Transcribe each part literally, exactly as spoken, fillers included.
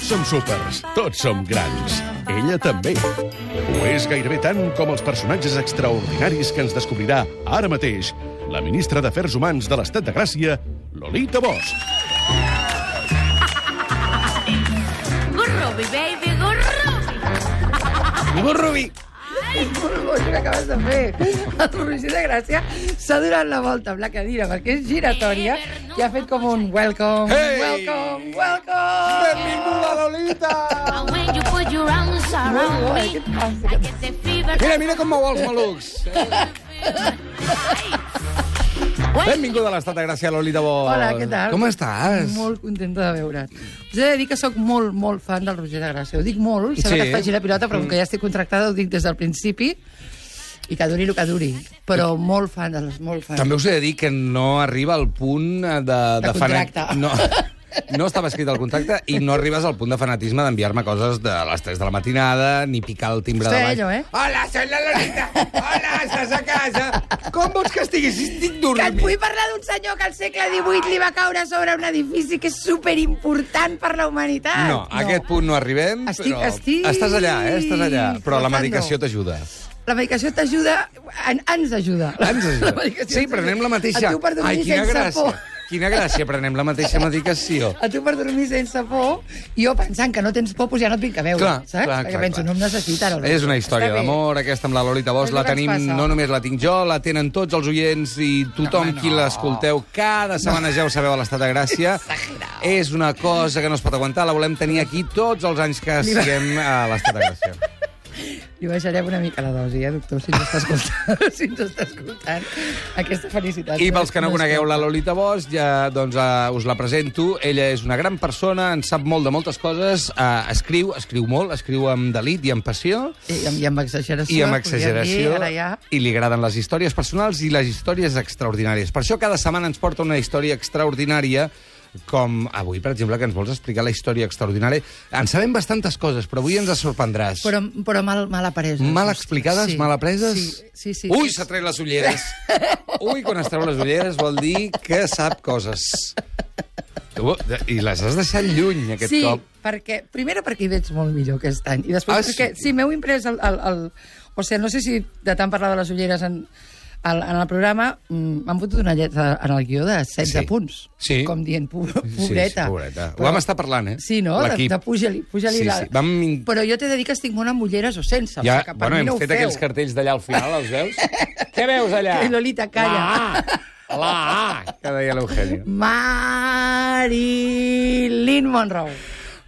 Tots som súpers, tots som grans. Ella també. Ho és gairebé tant com els personatges extraordinaris que ens descobrirà ara mateix la ministra d'Afers Humans de l'Estat de Gràcia, Lolita Bosch. Gurrubi, baby, gurrubi. Gurrubi. Molt boig que acabes de fer. El Roger de Gràcia s'ha donat la volta amb la cadira perquè és giratòria i ha fet com un welcome, Hey! welcome, welcome. Benvinguda, Lolita! When you put your arms around Molt bo, me, què et passa? I get the fever. Mira, mira com mou els malucs. Benvinguda a l'Estat de Gràcia, Lolita Bosch. Hola, què tal? Com estàs? Molt contenta de veure't. Us he de dir que sóc molt, molt fan del Roger de Gràcia. Ho dic molt, sembla Sí. que et faci la pilota, però com que ja estic contractada ho dic des del principi i que duri el que duri. Però molt fan, de les, molt fan. També us he de dir que no arriba al punt de... De contracte. No, no estava escrit el contracte i no arribes al punt de fanatisme d'enviar-me coses de les tres de la matinada, ni picar el timbre Estoy de baix. ello, eh? Hola, soy la Lolita! Hola, estàs a casa? Com vols que estigui si estic Que et dormint? vull parlar d'un senyor que al segle divuit li va caure sobre un edifici que és superimportant per la humanitat. No, a aquest punt no arribem, Estic- però... estic Estàs allà, eh? Estàs allà. Però la flotando. medicació t'ajuda. La medicació t'ajuda... En, ens ajuda. Ens ajuda. La medicació Sí, ens prenem la ajuda. mateixa. A tu per dormir Ai, quina sense gràcia. por. Quina gràcia, prenem la mateixa medicació. A tu per dormir sense por, jo pensant que no tens por, doncs ja no et vinc a veure, Clar, saps? clar, Perquè clar, penso, clar. no em necessita. No, És una història Està bé. d'amor, aquesta amb la Lolita Bosch. És La el que ens tenim, passa. no només la tinc jo, la tenen tots els oients i tothom No, home, qui no. l'escolteu. Cada setmana ja ho sabeu a l'Estat de Gràcia. Exagerado. És una cosa que no es pot aguantar. La volem tenir aquí tots els anys que siguem a l'Estat de Gràcia. Li baixarem una mica la dosi, eh, doctor, si ens està escoltant, si ens està escoltant aquesta felicitat. I pels que no conegueu la Lolita Bosch, ja doncs, uh, us la presento. Ella és una gran persona, en sap molt de moltes coses, uh, escriu, escriu molt, escriu amb delit i amb passió, I amb, i amb exageració. i amb podríem exageració, Dir, ara ja. i li agraden les històries personals i les històries extraordinàries. Per això cada setmana ens porta una història extraordinària, com avui, per exemple, que ens vols explicar la història extraordinària. En sabem bastantes coses, però avui ens sorprendràs. Però, però mal, mal apreses. Mal explicades, Sí. mal apreses? Sí, sí. sí Ui, s'ha tret les ulleres. Ui, quan es treu les ulleres vol dir que sap coses. Tu, I les has deixat lluny, aquest sí, cop. perquè, primera perquè hi veig molt millor aquest any. I després Ah, perquè, sí? sí, m'heu imprès el, el, el... O sigui, no sé si de tant parlar de les ulleres en, el, en el programa mm, m'han fotut una lletra en el guió de setze Sí. punts. Sí. Com dient, po Sí, sí, pobreta. pobreta. Ho vam estar parlant, eh? Sí, no? De, L'equip. de puja-li puja Sí, la... sí. Vam... Però jo t'he de dir que estic molt amb ulleres o sense. Ja, o sigui, que per bueno, mi hem no ho fet feu. aquells cartells d'allà al final, els veus? Què veus allà? Que Lolita, calla. La A, la A, que deia l'Eugenio. Marilyn Monroe.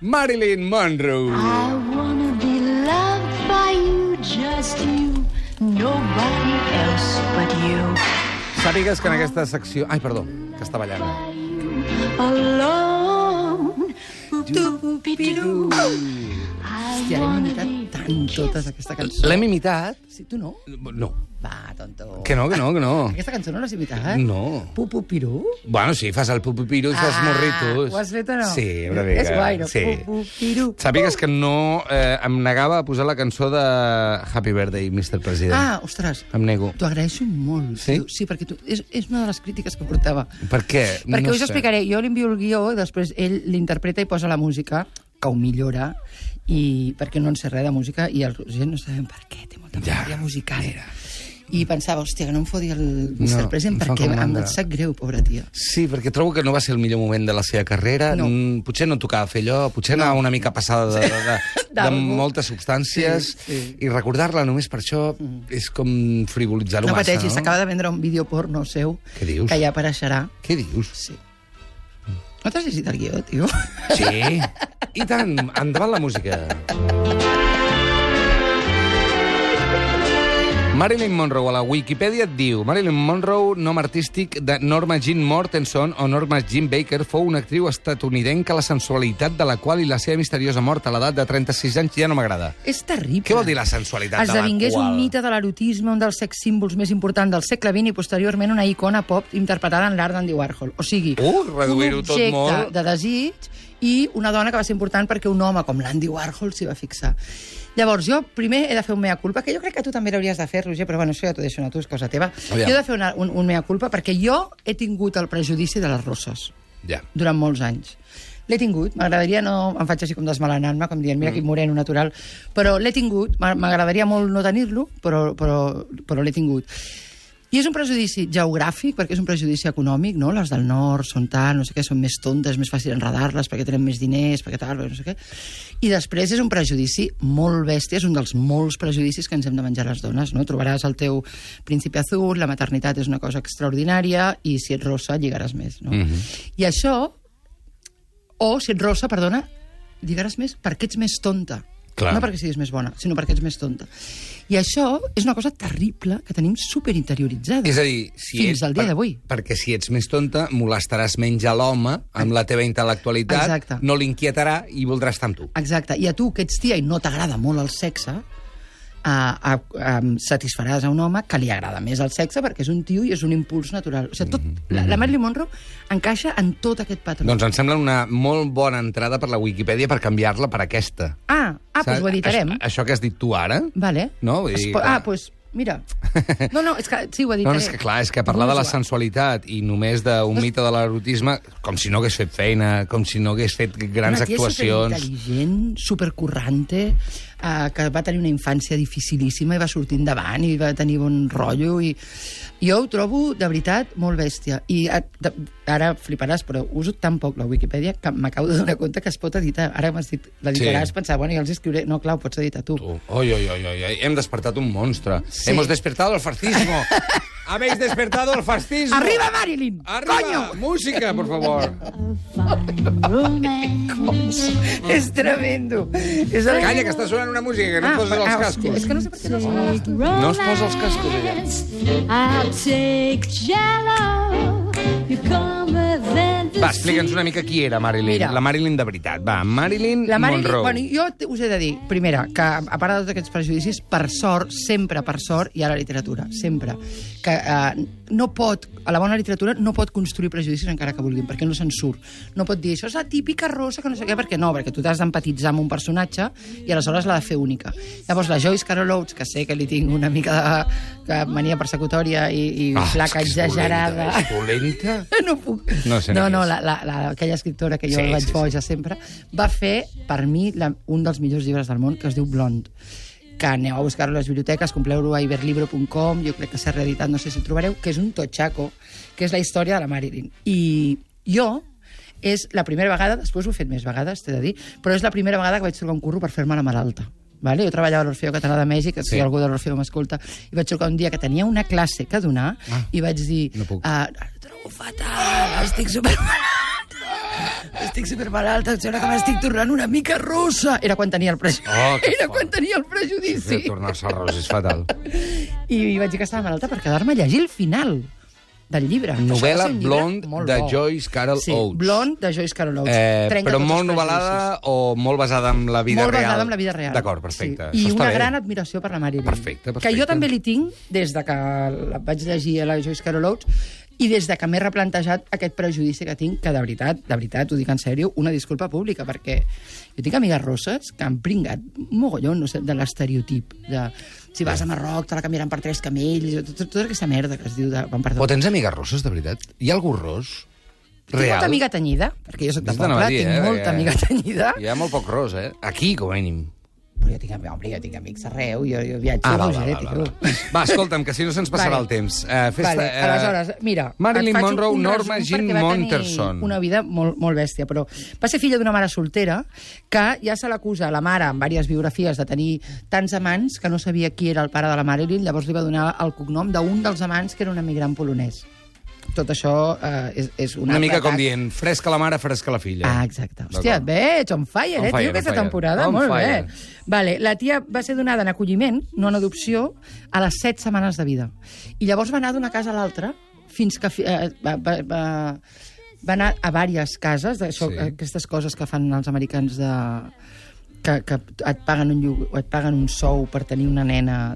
Marilyn Monroe. I wanna be loved by you, just you, nobody else but you. Sàpigues que en aquesta secció... Ai, perdó, que està ballant. Alone. Tu-pi-du. Hòstia, l'hem imitat tant totes, aquesta cançó. L'hem imitat? Sí, tu no? No. Va, tonto. Que no, que no, que no. Aquesta cançó no l'has imitat? No. Pupu-piru? Bueno, sí, fas el pupipiru i fas morritos. Ho has fet o no? Sí, una mica. És guai, no? Sí. Pupu-piru. Sàpigues que no... Eh, em negava a posar la cançó de Happy Birthday, mister President. Ah, ostres. Em nego. T'ho agraeixo molt. Sí? tio. Sí, perquè tu, és, és una de les crítiques que portava. Per què? Perquè no us explicaré. Jo li envio el guió i després ell l'interpreta i posa la música, que ho millora, i perquè no en sé res de música, i el Roger no sabem per què, té molta Ja, memòria musical. mira. I pensava, hòstia, que no em foti el mister No, President em fa perquè com em mandra. sap greu, pobra tia. Sí, perquè trobo que no va ser el millor moment de la seva carrera. No. Mm, potser no tocava fer allò, potser no. anava una mica passada de, de, de, de D'algú. moltes substàncies, Sí, sí. i recordar-la només per això és com frivolitzar-ho No massa, pateixis, no? s'acaba de vendre un vídeo porno seu Què dius? que ja apareixerà. Què dius? Sí. No t'has llegit el guió, tio? Sí, i tant, endavant la música. Marilyn Monroe, a la Wikipedia et diu: Marilyn Monroe, nom artístic de Norma Jean Mortenson o Norma Jean Baker, fou una actriu estatunidenca la sensualitat de la qual i la seva misteriosa mort a l'edat de trenta-sis anys ja no m'agrada. És terrible. Què vol dir la sensualitat de la Esdevingués qual? un mite de l'erotisme, un dels sex símbols més importants del segle vint i posteriorment una icona pop interpretada en l'art d'Andy Warhol. O sigui, Uh, reduir-ho un tot objecte molt. de desig i una dona que va ser important perquè un home com l'Andy Warhol s'hi va fixar. Llavors, jo primer he de fer un mea culpa, que jo crec que tu també l'hauries de fer, Roger, però bueno, això ja t'ho deixo a tu, és cosa teva. Aviam. Jo he de fer una, un, un mea culpa perquè jo he tingut el prejudici de les rosses Ja. durant molts anys. L'he tingut, m'agradaria no... Em faig així com desmelenant-me, com dient, mira, mm. quin moreno natural. Però l'he tingut, m'agradaria molt no tenir-lo, però, però, però l'he tingut. I és un prejudici geogràfic, perquè és un prejudici econòmic, no? Les del nord són tal, no sé què, són més tontes, més fàcil enredar-les, perquè tenen més diners, perquè tal, no sé què. I després és un prejudici molt bèstia, és un dels molts prejudicis que ens hem de menjar les dones, no? Trobaràs el teu príncipe azul, la maternitat és una cosa extraordinària, i si ets rossa, lligaràs més, no? Mm-hmm. I això, o si ets rossa, perdona, lligaràs més perquè ets més tonta. Clar. No perquè siguis més bona, sinó perquè ets més tonta. I això és una cosa terrible que tenim superinterioritzada. És a dir, si fins ets, al dia per, d'avui. Perquè si ets més tonta, molestaràs menys a l'home amb la teva intel·lectualitat, exacte. No l'inquietarà i voldrà estar amb tu. Exacte. I a tu, que ets tia i no t'agrada molt el sexe, a, a, a, satisfaràs a un home que li agrada més el sexe perquè és un tio i és un impuls natural. O sigui, tot, mm-hmm. la, la Marilyn Monroe encaixa en tot aquest patró. Doncs em sembla una molt bona entrada per la Wikipedia per canviar-la per aquesta. Ah, ah doncs ho editarem. Això, això que has dit tu ara... Vale. No? Vull dir, po- ah, doncs... Pues... Mira. No, no, és que sí, ho editaré. No, és que clar, és que parlar de la sensualitat i només d'un mite de l'erotisme, com si no hagués fet feina, com si no hagués fet grans una tia actuacions... superintel·ligent, supercorrante, eh, que va tenir una infància dificilíssima i va sortir endavant i va tenir bon rotllo. I jo ho trobo, de veritat, molt bèstia. I ara fliparàs, però uso tan poc la Wikipedia que m'acabo de donar compte que es pot editar. Ara m'has dit, l'editaràs, sí. Pensar, bueno, ja els escriuré... No, clar, ho pots editar tu. tu. Oi, oi, oi, oi, hem despertat un monstre. Sí. Hemos despertado el fascismo. Habéis despertado el fascismo. Arriba, Marilyn! Arriba! Coño! Música, por favor. És tremendo. És el... Calla, que està sonant una música, que no ah, et poses els ah, cascos. És que no sé per què no sonen els cascos. No es posa els cascos, ella. I'll take jello. You come within the Va, explica'ns una mica qui era Marilyn. Mira. La Marilyn de veritat. Va, Marilyn, La Marilyn, Monroe. bueno, jo us he de dir, primera, que a part de tots aquests prejudicis, per sort, sempre per sort, hi ha la literatura, sempre. Que eh, no pot, a la bona literatura no pot construir prejudicis encara que vulguin, perquè no se'n surt. No pot dir, això és la típica rosa, que no sé què, perquè no, perquè tu t'has d'empatitzar amb un personatge i aleshores l'ha de fer única. Llavors, la Joyce Carol Oates, que sé que li tinc una mica de, de mania persecutòria i, i Ah, flaca és exagerada... És dolenta? No puc. No sé no, ni no, qui és. la, la, la, aquella escriptora que jo Sí, vaig sí, sí. boja sempre, va fer, per mi, la, un dels millors llibres del món, que es diu Blonde, que aneu a buscar-lo a les biblioteques, compreu-lo a iberlibro punt com, jo crec que s'ha reeditat, no sé si el trobareu, que és un totxaco, que és la història de la Marilyn. I jo, és la primera vegada, després ho he fet més vegades, t'he de dir, però és la primera vegada que vaig trucar un curro per fer-me la malalta. Vale? Jo treballava a l'Orfeo Català de Mèxic, que sí. Si algú de l'Orfeo m'escolta, i vaig trucar un dia que tenia una classe que donar, ah, i vaig dir, no puc. ah, trobo fatal, estic supermalalta, estic supermalalta, sembla que m'estic tornant una mica rossa. Era quan tenia el prejudici. Oh, Era fort. quan tenia el prejudici. Sí, tornar-se rosa és fatal. I vaig dir que estava malalta per quedar-me a llegir el final del llibre. Novel·la Això va ser un llibre Blonde molt de bo. Joyce Carol sí, Oates. Blonde de Joyce Carol Oates. Eh, Trenca però tots molt els novel·lada prejudicis. o molt basada en la vida molt real? Molt basada en la vida real. D'acord, perfecte. Sí. I Això està una bé. gran admiració per la Marilyn. Perfecte, perfecte. Que jo també li tinc des de que la vaig llegir a la Joyce Carol Oates i des de que m'he replantejat aquest prejudici que tinc, que de veritat, de veritat, ho dic en sèrio, una disculpa pública, perquè jo tinc amigues rosses que han pringat mogollon, no sé, de l'estereotip, de si vas a Marroc te la canviaran per tres camells, tot, tota aquesta merda que es diu de... Perdó. O tens amigues rosses, de veritat? Hi ha algú ros? Tinc Real? molta amiga tenyida, perquè jo soc de Vés d'anar poble, a dir, tinc eh, molta perquè amiga tenyida. Hi ha molt poc ros, eh? Aquí, com a mínim. Però jo tinc, home, jo tinc amics arreu, jo, jo viatjo, Ah, va, ah, va, va, va, va. Va, escolta'm, que si no se'ns passarà Vale. el temps. Uh, festa, Vale, eh, aleshores, mira... Marilyn et faig Monroe, un Norma resum Jean perquè va tenir Monterson. una vida molt, molt bèstia, però va ser filla d'una mare soltera que ja se l'acusa la mare, en diverses biografies, de tenir tants amants que no sabia qui era el pare de la Marilyn, llavors li va donar el cognom d'un dels amants que era un emigrant polonès. Tot això eh, és, és un Una altre mica com cas. dient, fresca la mare, fresca la filla. Ah, exacte. Hòstia, et veig, on fire, On eh, fire, tio, on aquesta fire. temporada. On Molt fire. bé. Vale, la tia va ser donada en acolliment, no en adopció, a les set setmanes de vida. I llavors va anar d'una casa a l'altra fins que... Eh, va, va, va, va anar a diverses cases, això, Sí. sí. aquestes coses que fan els americans de... que, que et, paguen un, llog- et paguen un sou per tenir una nena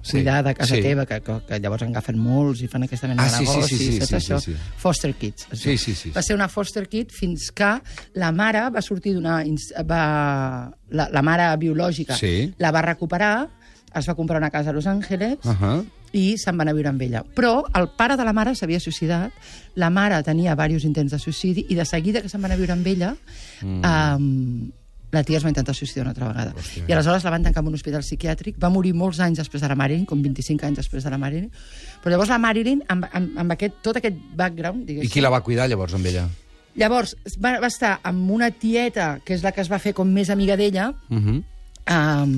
Sí, cuidada a casa sí. teva, que, que, que llavors en agafen molts i fan aquesta mena Ah, de sí, sí, negocis, sí, sí, saps sí, això? sí, sí. Foster kids. es Sí, diu. sí, sí, Va sí. ser una foster kid fins que la mare va sortir d'una... ins- Va, la, la mare biològica Sí. la va recuperar, es va comprar una casa a Los Angeles Uh -huh. i se'n van a viure amb ella. Però el pare de la mare s'havia suïcidat, la mare tenia diversos intents de suïcidi, i de seguida que se'n van a viure amb ella, mm. um, la tia es va intentar suïcidar una altra vegada. Hòstia. I aleshores la van tancar en un hospital psiquiàtric, va morir molts anys després de la Marilyn, com vint-i-cinc anys després de la Marilyn, però llavors la Marilyn, amb, amb, amb aquest, tot aquest background... I qui la va cuidar llavors amb ella? Llavors va, va estar amb una tieta, que és la que es va fer com més amiga d'ella, uh-huh. um,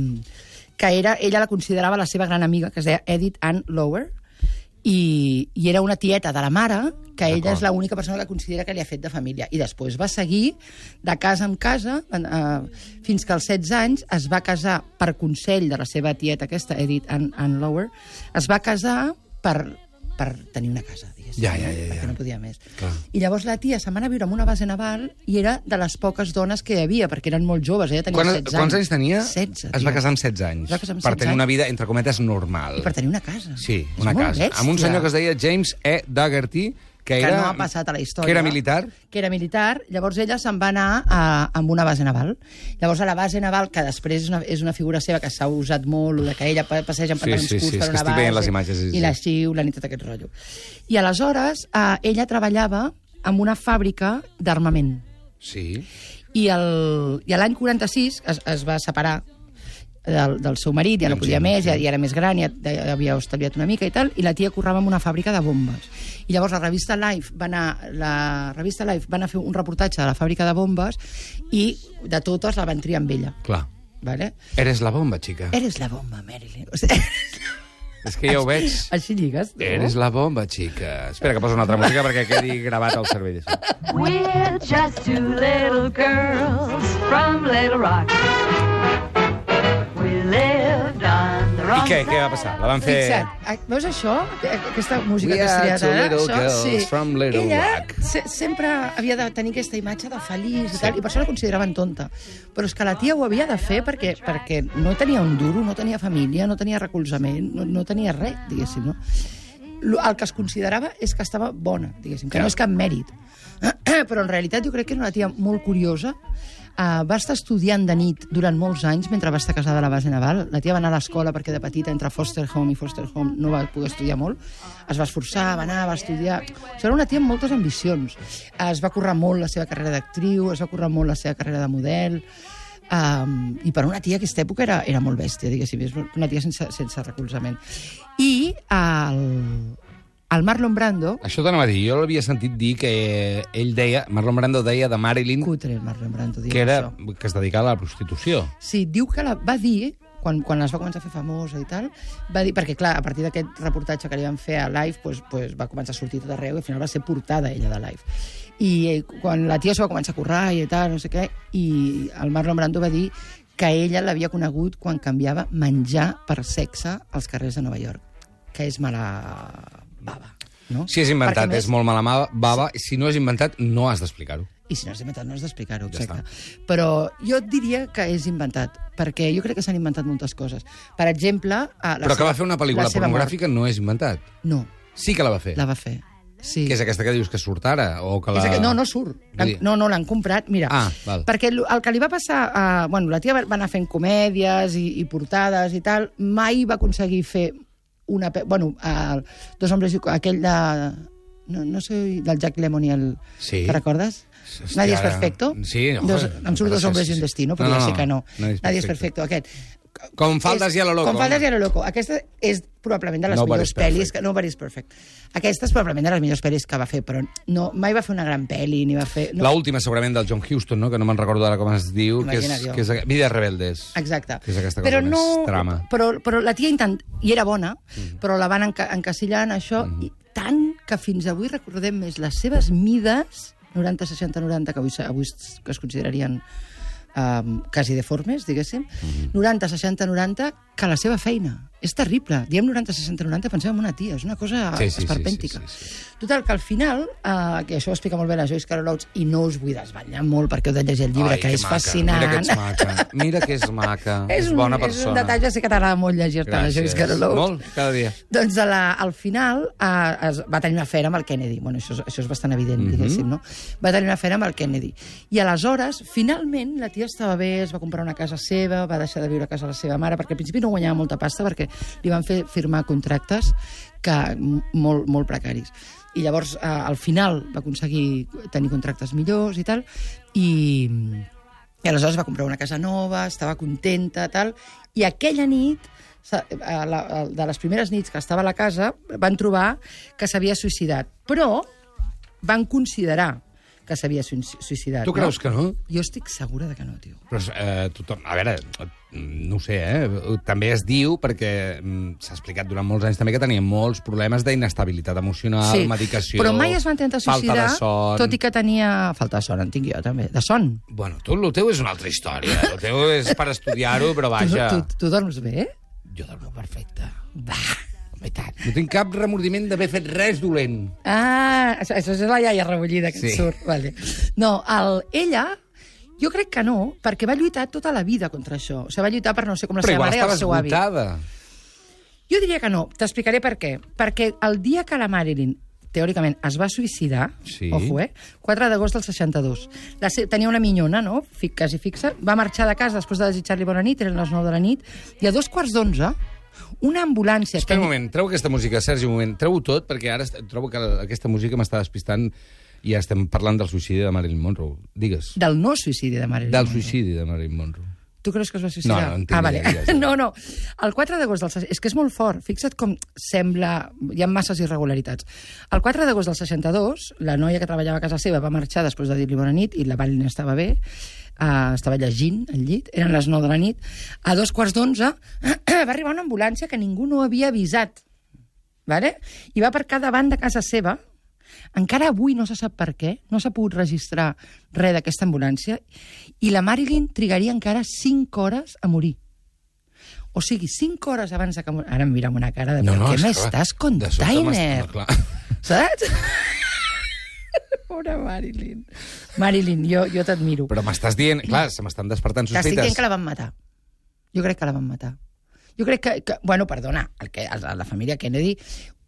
que era, ella la considerava la seva gran amiga, que es deia Edith Ann Lower, i, i era una tieta de la mare, que ella és l'única persona que considera que li ha fet de família. I després va seguir de casa en casa, eh, fins que als setze anys es va casar per consell de la seva tieta aquesta, Edith Ann, Ann Lower, es va casar per, per tenir una casa, diguéssim, ja, ja, ja, ja. perquè no podia més. Clar. I llavors la tia se'n va anar a viure en una base naval i era de les poques dones que hi havia, perquè eren molt joves, ella tenia Quan, setze anys. Quants anys tenia? setze. Es va casar amb setze anys. Es va casar amb per setze tenir anys. una vida, entre cometes, normal. I per tenir una casa. Sí, És una molt casa. bèstia. Amb un senyor que es deia James E. Daugherty, que, que era, no ha passat a la història. Que era militar. Que era militar. Llavors ella se'n va anar a, a una base naval. Llavors a la base naval, que després és una, és una figura seva que s'ha usat molt, de que ella passeja en pantalons sí, sí, curts sí, per una estic veient base, les imatges, sí, sí. i la xiulen i tot aquest rotllo. I aleshores eh, ella treballava en una fàbrica d'armament. Sí. I, el, i l'any quaranta-sis es, es va separar del, del seu marit, ja no podia més, ja, ja era més gran, ja, ja havia estalviat una mica i tal, i la tia currava en una fàbrica de bombes. I llavors la revista Life va anar, la revista Life va anar a fer un reportatge de la fàbrica de bombes i de totes la van triar amb ella. Clar. Vale? Eres la bomba, xica. Eres la bomba, Marilyn. O sigui, és que ja ho veig. així lligues, no? Eres la bomba, xica. Espera que poso una altra música perquè quedi gravat al cervell. We're just two little girls from Little Rock. We lived on the I wrong què? Què va passar? La van fer... Fixa't, veus això? Aquesta música We que has are triat two ara? little Això, girls sí. from Little Ella Rock. se sempre havia de tenir aquesta imatge de feliç i tal, i per això la consideraven tonta. Però és que la tia ho havia de fer perquè, perquè no tenia un duro, no tenia família, no tenia recolzament, no, no tenia res, diguéssim, no? El que es considerava és que estava bona, diguéssim, que no és cap mèrit. Però en realitat jo crec que era una tia molt curiosa. Uh, va estar estudiant de nit durant molts anys mentre va estar casada a la base naval. La tia va anar a l'escola perquè de petita entre foster home i foster home no va poder estudiar molt. Es va esforçar, va anar, va estudiar... O sigui, era una tia amb moltes ambicions. Uh, es va currar molt la seva carrera d'actriu, es va currar molt la seva carrera de model... Um, i per una tia aquesta època era, era molt bèstia, diguéssim, és una tia sense, sense recolzament. I el, el Marlon Brando... Això t'anava a dir, jo l'havia sentit dir que ell deia, Marlon Brando deia de Marilyn... Cutre, el Marlon Brando, que, era, això. que es dedicava a la prostitució. Sí, diu que la va dir... Quan, quan es va començar a fer famosa i tal, va dir, perquè clar, a partir d'aquest reportatge que li van fer a Life, pues, pues, va començar a sortir tot arreu i al final va ser portada ella de Life. I eh, quan la tia s'ho va començar a currar i tal, no sé què, i el Marlon Brando va dir que ella l'havia conegut quan canviava menjar per sexe als carrers de Nova York, que és mala bava, no? Si és inventat, Perquè, és molt mala bava, sí. Si no és inventat, no has d'explicar-ho. I si no és inventat, no has d'explicar-ho, Ja exacte. Ja Però jo et diria que és inventat, perquè jo crec que s'han inventat moltes coses. Per exemple... La Però que seva, va fer una pel·lícula pornogràfica no és inventat. No. Sí que la va fer. La va fer, sí. Que és aquesta que dius que surt ara? O que la... Que... No, no surt. Dir... No, no, l'han comprat. Mira, ah, val. perquè el, el que li va passar... A... Bueno, la tia va anar fent comèdies i, i portades i tal, mai va aconseguir fer una... Bueno, el, Dos hombres i... aquell de... No, no sé, del Jack Lemmon i el... Sí. Te recordes? Hòstia, Nadie es perfecto? Sí, no, dos, em surt Dos hombres i un destino, però no, ja no, sé que no. Nadie es Nadie es perfecto. perfecto, aquest. Com faldes és, i a lo loco. Com faldes i a lo loco. Aquesta és probablement de les Nobody's millors pel·lis... Que, Nobody's perfect. Aquesta és probablement de les millors pel·lis que va fer, però no, mai va fer una gran pel·li, ni va fer... No. L'última, segurament, del John Huston, no? Que no me'n recordo ara com es diu, que és, que és Vides rebeldes. Exacte. Que és aquesta cosa però més no, trama. Però, però la tia intent... I era bona, mm. però la van enca encasillar en això, mm. i tant que fins avui recordem més les seves mides, noranta, seixanta, noranta, que avui, avui que es considerarien um, quasi deformes, diguéssim, mm. noranta, seixanta, noranta, que la seva feina. És terrible. Diem noranta, seixanta, noranta, pensem en una tia. És una cosa sí, sí, esperpèntica. Sí, sí, sí, sí. Total, que al final, uh, que això ho explica molt bé la Joyce Carol Oates, i no us vull desvetllar molt perquè heu de llegir el llibre, Ai, que és maca. fascinant. Mira que ets maca. Mira que és maca. és, és bona un, persona. És un detall, ja sé que t'agrada molt llegir-te la Joyce Carol Oates. Molt, cada dia. Doncs a la, al final uh, es va tenir una afera amb el Kennedy. Bueno, això, això és bastant evident, mm -hmm. diguéssim, no? Va tenir una afera amb el Kennedy. I aleshores, finalment, la tia estava bé, es va comprar una casa seva, va deixar de viure a casa de la seva mare, perquè al principi no guanyava molta pasta, perquè li van fer firmar contractes que, molt, molt precaris. I llavors, eh, al final, va aconseguir tenir contractes millors i tal, i, i aleshores va comprar una casa nova, estava contenta, tal, i aquella nit, de les primeres nits que estava a la casa, van trobar que s'havia suïcidat. Però van considerar que s'havia suïcidat. Tu creus no? que no? Jo estic segura de que no, tio. Però eh, tothom... A veure, no ho sé, eh? També es diu, perquè s'ha explicat durant molts anys també que tenia molts problemes d'inestabilitat emocional, sí, medicació... però mai es va intentar suïcidar, falta de son... tot i que tenia... Falta de son, en tinc jo, també. De son. Bueno, tu, el teu és una altra història. El teu és per estudiar-ho, però vaja... Tu, tu, tu dorms bé? Jo dormo perfecte. Va... No tinc cap remordiment d'haver fet res dolent. Ah, això, això és la iaia rebollida que sí. et surt. Vale. No, el, ella, jo crec que no, perquè va lluitar tota la vida contra això. O sigui, va lluitar per no sé com la Però seva mare i el seu avi. Però igual estava esgotada. Jo diria que no. T'explicaré per què. Perquè el dia que la Marilyn, teòricament, es va suïcidar, sí. ojo, eh? quatre d'agost del seixanta-dos. La, tenia una minyona, no? Fic, quasi fixa. Va marxar de casa després de desitjar-li bona nit, eren les nou de la nit, i a dos quarts d'onze, una ambulància... Espera un moment, treu aquesta música, Sergi, un moment. Treu-ho tot, perquè ara trobo que aquesta música m'està despistant i ja estem parlant del suïcidi de Marilyn Monroe. Digues. Del no suïcidi de Marilyn Del Monroe. suïcidi de Marilyn Monroe. Tu creus que es va suïcidar? No, no entenc. Ah, vale. Ja, ja. No, no. El quatre d'agost del... És que és molt fort. Fixa't com sembla... Hi ha masses irregularitats. El quatre d'agost del seixanta-dos, la noia que treballava a casa seva va marxar després de dir-li bona nit i la Marilyn estava bé, uh, estava llegint al llit, eren les nou de la nit. A dos quarts d'onze va arribar una ambulància que ningú no havia avisat. Vale? I va aparcar davant de casa seva. Encara avui no se sap per què, no s'ha pogut registrar res d'aquesta ambulància, i la Marilyn trigaria encara cinc hores a morir. O sigui, cinc hores abans de que... Ara em mira amb una cara de... No, no, què és m'estàs clar, container? no, clar. Saps? Pobra Marilyn. Marilyn, jo, jo t'admiro. Però m'estàs dient... Clar, se m'estan despertant T'estic sospites. dient que la van matar. Jo crec que la van matar. Jo crec que... que bueno, perdona, el que, el, la família Kennedy...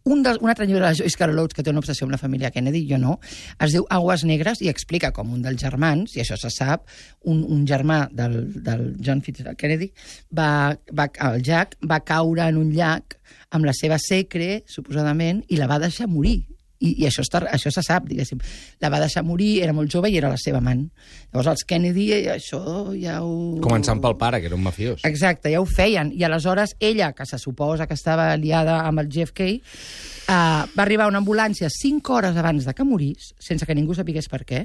Un, del, un altre llibre de Joyce Carol Oates, que té una obsessió amb la família Kennedy, jo no, es diu Aguas Negres i explica com un dels germans, i això se sap, un, un germà del, del John Fitzgerald Kennedy, va, va, el Jack, va caure en un llac amb la seva secre, suposadament, i la va deixar morir. I, i això, està, això se sap, diguéssim. La va deixar morir, era molt jove i era la seva amant. Llavors els Kennedy, això ja ho... Començant pel pare, que era un mafiós. Exacte, ja ho feien. I aleshores ella, que se suposa que estava liada amb el J F K, uh, va arribar a una ambulància cinc hores abans de que morís, sense que ningú sapigués per què.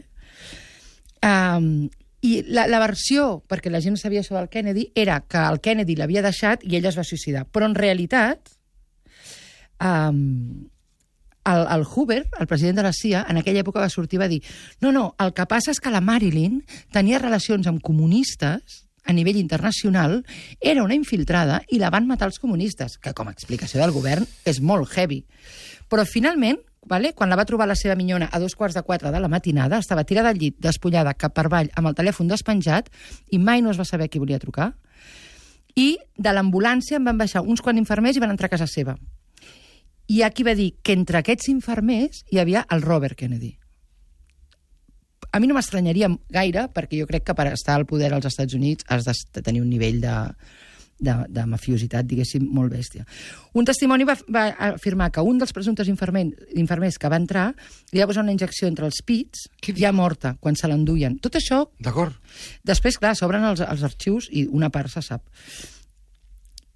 Um, I la, la versió, perquè la gent sabia això del Kennedy, era que el Kennedy l'havia deixat i ella es va suïcidar. Però en realitat... Um, El, el Hoover, el president de la C I A, en aquella època va sortir i va dir no, no, el que passa és que la Marilyn tenia relacions amb comunistes a nivell internacional, era una infiltrada i la van matar els comunistes, que com a explicació del govern és molt heavy. Però finalment, vale, quan la va trobar la seva minyona a dos quarts de quatre de la matinada, estava tirada al llit, despullada cap per avall, amb el telèfon despenjat, i mai no es va saber qui volia trucar. I de l'ambulància en van baixar uns quants infermers i van entrar a casa seva. I aquí va dir que entre aquests infermers hi havia el Robert Kennedy. A mi no m'estranyaria gaire, perquè jo crec que per estar al poder als Estats Units has de tenir un nivell de, de, de mafiositat, diguéssim, molt bèstia. Un testimoni va, va afirmar que un dels presumptes infermers, infermers que va entrar li va posar una injecció entre els pits, ja morta, quan se l'enduien. Tot això... D'acord. Després, clar, s'obren els, els arxius i una part se sap.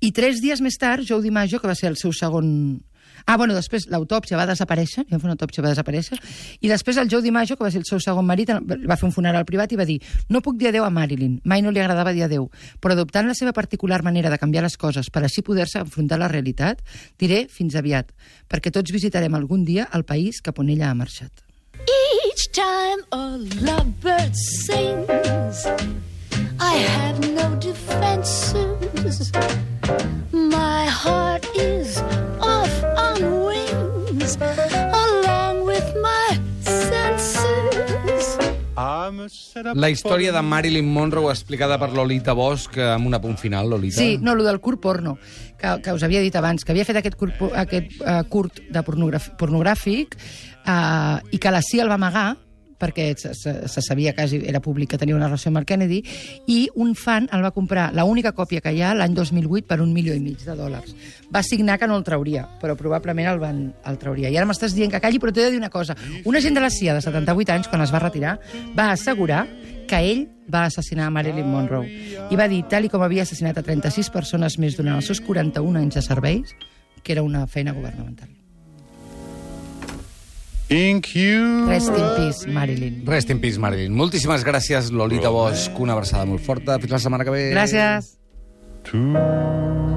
I tres dies més tard, Joe DiMaggio, que va ser el seu segon... Ah, bueno, després l'autòpsia va desaparèixer, va fer una autòpsia, va desaparèixer, i després el Joe DiMaggio, que va ser el seu segon marit, va fer un funeral privat i va dir no puc dir adeu a Marilyn, mai no li agradava dir adeu, però adoptant la seva particular manera de canviar les coses per així poder-se enfrontar la realitat, diré fins aviat, perquè tots visitarem algun dia el país cap on ella ha marxat. Each time a lovebird sings, I have no defenses. My heart is off on wings, along with my senses. La història de Marilyn Monroe explicada per Lolita Bosch amb un apunt final, Lolita. Sí, no, el del curt porno, que, que us havia dit abans, que havia fet aquest curt, aquest, uh, curt de pornogràfic uh, i que la C I A el va amagar perquè se, se, se sabia quasi, era públic que tenia una relació amb el Kennedy, i un fan el va comprar, l'única còpia que hi ha, l'any dos mil vuit, per un milió i mig de dòlars. Va signar que no el trauria, però probablement el, van, el trauria. I ara m'estàs dient que calli, però t'he de dir una cosa. Un agent de la C I A de setanta-vuit anys, quan es va retirar, va assegurar que ell va assassinar a Marilyn Monroe. I va dir, tal i com havia assassinat a trenta-sis persones més durant els seus quaranta-un anys de serveis, que era una feina governamental. Thank you. Rest in peace, Marilyn. Rest in peace, Marilyn. Moltíssimes gràcies, Lolita Bosch. Una abraçada molt forta. Fins la setmana que ve. Gràcies. To